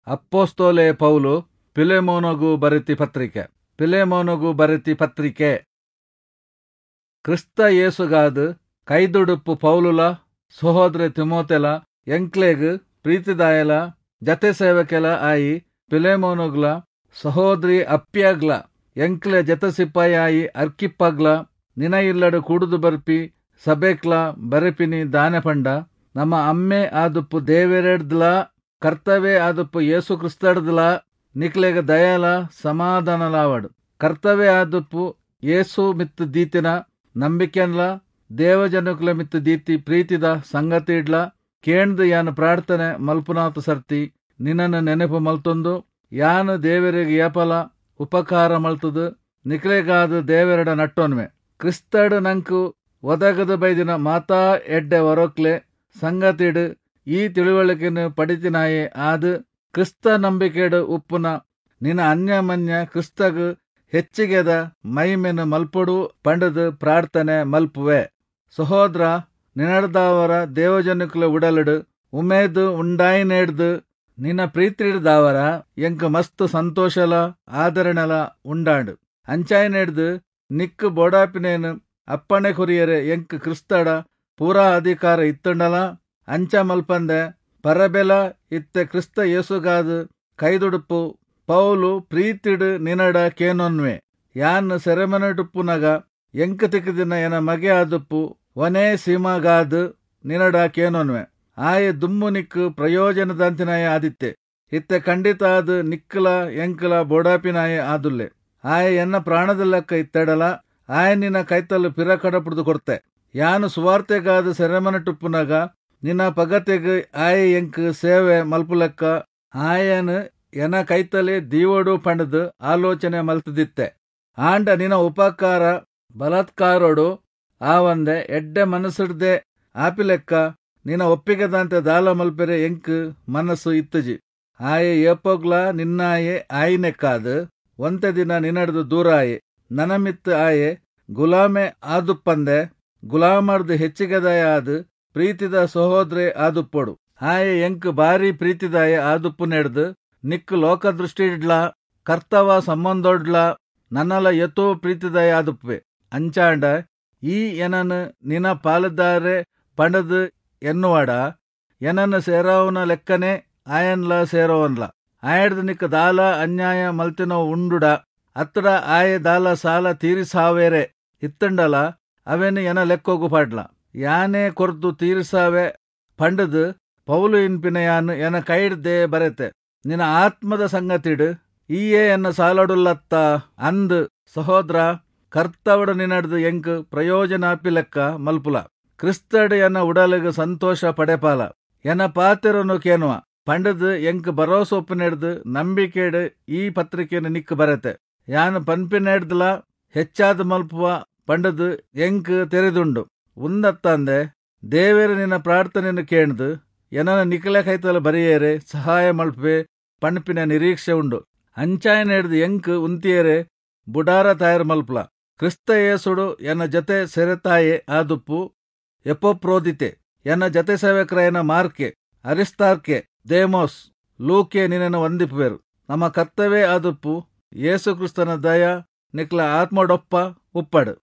ಅಪ್ಪೋಸ್ತೋಲೆ ಪೌಲು ಪಿಲೆಮೋನಗು ಬರೆತಿ ಪತ್ರಿಕೆ. ಪಿಲೆಮೋನಗು ಬರೆತಿ ಪತ್ರಿಕೆ. ಕ್ರಿಸ್ತ ಯೇಸುಗಾದ್ ಕೈದುಡುಪ್ಪು ಪೌಲುಲ ಸಹೋದರ ತಿಮೋತೆಲ ಎಂಕ್ಲೆಗ್ ಪ್ರೀತಿದಾಯಲ ಜತೆ ಸೇವಕೆಲ ಆಯಿ ಪಿಲೆಮೋನುಗ್ಲ ಸಹೋದರಿ ಅಪ್ಪ್ಯಗ್ಲ ಎಂಕ್ಲೆ ಜತೆ ಸಿಪಾಯಿ ಅರ್ಕಿಪ್ಪಗ್ಲ ನಿನ ಇಲ್ಲಡು ಕೂಡುದು ಬರ್ಪಿ ಸಭೆಕ್ಲ ಬರೆಪಿನಿ ದಾನೆ ಪಂಡ ನಮ್ಮ ಅಮ್ಮೆ ಆದುಪ್ಪು ದೇವೆರೆಡ್ದ್ಲ ಕರ್ತವೇ ಆದುಪ್ಪು ಯೇಸು ಕ್ರಿಸ್ತಡ್ದ್ಲ ನಿಕ್ಲೆಗ ದಯಲ ಸಮಾಧಾನಲಾವಡು. ಕರ್ತವೇ ಆದುಪ್ಪು ಯೇಸು ಮಿತ್ತು ದೀತಿನ ನಂಬಿಕೆನ್ಲ ದೇವಜನುಕ್ಲ ಮಿತ್ತು ದೀತಿ ಪ್ರೀತಿದ ಸಂಗತಿಡ್ಲ ಕೇಂದು ಯಾನು ಪ್ರಾರ್ಥನೆ ಮಲ್ಪುನಾತು ಸರ್ತಿ ನಿನ್ನನ್ನು ನೆನಪು ಮಲ್ತೊಂದು ಯಾನು ದೇವರಿಗೆ ಏಪಲ ಉಪಕಾರ ಮಲ್ತದು ನಿಕ್ಲೆಗಾದ ದೇವರಡ ನಟ್ಟೋನ್ವೆ. ಕ್ರಿಸ್ತಡು ನಂಕು ಒದಗದ ಬೈದಿನ ಮಾತಾ ಎಡ್ಡೆ ವರೋಕ್ಲೆ ಸಂಗತಿಡು ಈ ತಿಳುವಳಿಕೆನು ಪಡಿತಿನಾಯೆ ಆದು ಕ್ರಿಸ್ತ ನಂಬಿಕೆಡು ಉಪ್ಪುನ ನಿನ್ನ ಅನ್ಯಮನ್ಯ ಕ್ರಿಸ್ತಗು ಹೆಚ್ಚಿಗೆದ ಮೈಮೆನು ಮಲ್ಪೊಡು ಪಂಡದು ಪ್ರಾರ್ಥನೆ ಮಲ್ಪುವೆ. ಸಹೋದರ, ನಿನಡ್ದಾವರ ದೇವಜನುಕುಲ ಉಡಲಡು ಉಮೇದು ಉಂಡಾಯಿನೇಡ್ದು ನಿನ್ನ ಪ್ರೀತಿಡ್ದಾವರ ಎಂಕ್ ಮಸ್ತ್ ಸಂತೋಷಲ ಆದರಣಲ ಉಂಡಾಂಡು. ಅಂಚಾಯಿನೇಡ್ದು ನಿಕ್ಕು ಬೋಡಾಪಿನೇನು ಅಪ್ಪಣೆ ಕೊರಿಯರೆ ಎಂಕ್ ಕ್ರಿಸ್ತಡ ಪೂರಾ ಅಧಿಕಾರ ಇತ್ತುಂಡಲ ಅಂಚ ಮಲ್ಪಂದೆ ಪರಬೆಲ ಇತ್ತೆ ಕ್ರಿಸ್ತ ಯೇಸುಗಾದು ಕೈದುಡುಪ್ಪು ಪೌಲು ಪ್ರೀತಿಡು ನಿನಡ ಕೇನೊನ್ವೆ. ಯಾನ್ ಸೆರೆಮನೆಡುಪ್ಪುನಗ ಎಂಕ್ ತಿಕ್ಕದಿನ ಎನ ಮಗೆ ಆದುಪ್ಪು ಒನೇ ಸೀಮಾಗಾದು ನಿನಡ ಕೇನೊನ್ವೆ. ಆಯೆ ದುಮ್ಮು ನಿಕ್ಕು ಪ್ರಯೋಜನದಂತಿನಾಯ ಆದಿತ್ತೆ, ಇತ್ತೆ ಖಂಡಿತ ಆದು ನಿಕ್ಕಲ ಎಂಕಲ ಬೋಡಾಪಿನಾಯೆ ಆದುಲ್ಲೆ. ಆಯೆ ಎನ್ನ ಪ್ರಾಣದ ಲೆಕ್ಕ ಇತ್ತೆಡಲ ಆಯ ನಿನ್ನ ಕೈತಲ್ಲು ಪಿರ ಕಡಪುಡ್ದು ಕೊಡ್ತೆ. ಯಾನು ಸುವಾರ್ತೆಗಾದ ಸೆರೆಮನೆಟುಪ್ಪುನಗ ನಿನ್ನ ಪಗತೆಗ್ ಆಯೆ ಎಂಕ್ ಸೇವೆ ಮಲ್ಪುಲೆಕ್ಕ ಆಯನು ಎನ ಕೈತಲೆ ದೀವಡು ಪಂಡದು ಆಲೋಚನೆ ಮಲ್ತದಿತ್ತೆ. ಆಂಡ ನಿನ್ನ ಉಪಕಾರ ಬಲಾತ್ಕಾರೋಡು ಆವಂದೆ ಎಡ್ಡೆ ಮನಸ್ಸುಡ್ದೆ ಆಪಿಲೆಕ್ಕ ನಿನ್ನ ಒಪ್ಪಿಗೆದಂತೆ ದಾಲ ಮಲ್ಪೆರೆ ಎಂಕ್ ಮನಸ್ಸು ಇತ್ತಜಿ. ಆಯೆ ಏಪೋಗ್ಲ ನಿನ್ನಾಯೆ ಆಯಿನೆಕ್ಕಾದು ಒಂತೆ ದಿನ ನಿನ್ನಡ್ದು ದೂರ ಆಯೆ. ನನಮಿತ್ತು ಆಯೆ ಗುಲಾಮೆ ಆದುಪ್ಪಂದೆ ಗುಲಾಮರ್ದು ಹೆಚ್ಚಿಗೆದಾಯ ಆದು ಪ್ರೀತಿದ ಸಹೋದ್ರೆ ಆದುಪ್ಪೊಡು. ಆಯೆ ಎಂಕ್ ಬಾರಿ ಪ್ರೀತಿದಾಯ ಆದುಪ್ಪು ನೆಡ್ದು ನಿಕ್ಕು ಲೋಕದೃಷ್ಟಿಡ್ಲ ಕರ್ತವ ಸಂಬಂಧೊಡ್ಲ ನನ್ನಲ ಎತೋ ಪ್ರೀತಿದಾಯ ಆದುಪ್ಪೆ. ಅಂಚಾಂಡ ಈ ಎನನು ನಿನ ಪಾಲುದಾರೆ ಪಂಡದು ಎನ್ನುವಾಡ ಎನನ್ನು ಸೇರಾವನ ಲೆಕ್ಕನೆ ಆಯನ್ಲ ಸೇರೋವನ್ಲ. ಆಯಡ್ದು ನಿಕ್ಕ ದಾಲ ಅನ್ಯಾಯ ಮಲ್ತಿನೋ ಉಂಡುಡ ಅತ್ತಡ ಆಯೆ ದಾಲ ಸಾಲ ತೀರಿಸಾವೇರೆ ಇತ್ತಂಡಲ ಅವೇನು ಎನ ಲೆಕ್ಕೋಗು ಪಾಡ್ಲ. ಯಾನೇ ಕೊರ್ದು ತೀರಿಸಾವೆ ಪಂಡದು ಪೌಲು ಇನ್ಪಿನ ಯಾನು ಎನ ಕೈಡ್ದೆ ಬರೆತೆ. ನಿನ್ನ ಆತ್ಮದ ಸಂಗತಿಡು ಈಯೇ ಎನ್ನ ಸಾಲಡುಲ್ಲತ್ತ ಅಂದ್ ಸಹೋದ್ರ ಕರ್ತವಡು ನಿನ್ನಡ್ದು ಎಂಕ್ ಪ್ರಯೋಜನ ಲೆಕ್ಕ ಮಲ್ಪುಲ. ಕ್ರಿಸ್ತಡು ಎನ್ನ ಉಡಲಿಗೆ ಸಂತೋಷ ಪಡೆಪಾಲ. ಎನ್ನ ಪಾತಿರನು ಕೇನುವ ಪಂಡದು ಎಂಕ್ ಭರೋಸೊಪ್ಪನೆಡ್ದು ನಂಬಿಕೆಡು ಈ ಪತ್ರಿಕೆಯನ್ನು ನಿಕ್ಕು ಬರೆತೆ. ಯಾನು ಪನ್ಪಿನೆಡ್ದಲ ಹೆಚ್ಚಾದ ಮಲ್ಪುವ ಪಂಡದು ಎಂಕ್ ತೆರೆದುಂಡು. ಉಂದತ್ತಂದೆ ದೇವೇರು ನಿನ್ನ ಪ್ರಾರ್ಥನೆಯನ್ನು ಕೇಣ್ದು ಎನನ ನಿಕಲೆ ಕೈತಲ ಬರೆಯೇರೆ ಸಹಾಯ ಮಲ್ಪೆ ಪಣ್ಪಿನ ನಿರೀಕ್ಷೆ ಉಂಡು. ಅಂಚಾಯನೆಡ್ದು ಎಂಕ್ ಉಂತಿಯೇರೆ ಬುಡಾರ ತಯಾರು ಮಲ್ಪಲ. ಕ್ರಿಸ್ತ ಯೇಸುಡು ಎನ್ನ ಜತೆ ಸೆರೆತಾಯೆ ಆದುಪ್ಪು ಎಪೋಪ್ರೋದಿತೆ, ಎನ್ನ ಜತೆ ಸೇವಕರಾಯನ ಮಾರ್ಕೆ, ಅರಿಸ್ತಾರ್ಕೆ, ದೇಮೋಸ್, ಲೂಕೆ ನಿನ್ನನ್ನು ವಂದಿಪುವೆರು. ನಮ್ಮ ಕರ್ತವೇ ಆದುಪ್ಪು ಯೇಸು ಕ್ರಿಸ್ತನ ದಯ ನಿಕ್ಲ ಆತ್ಮಡೊಪ್ಪ ಉಪ್ಪಡು.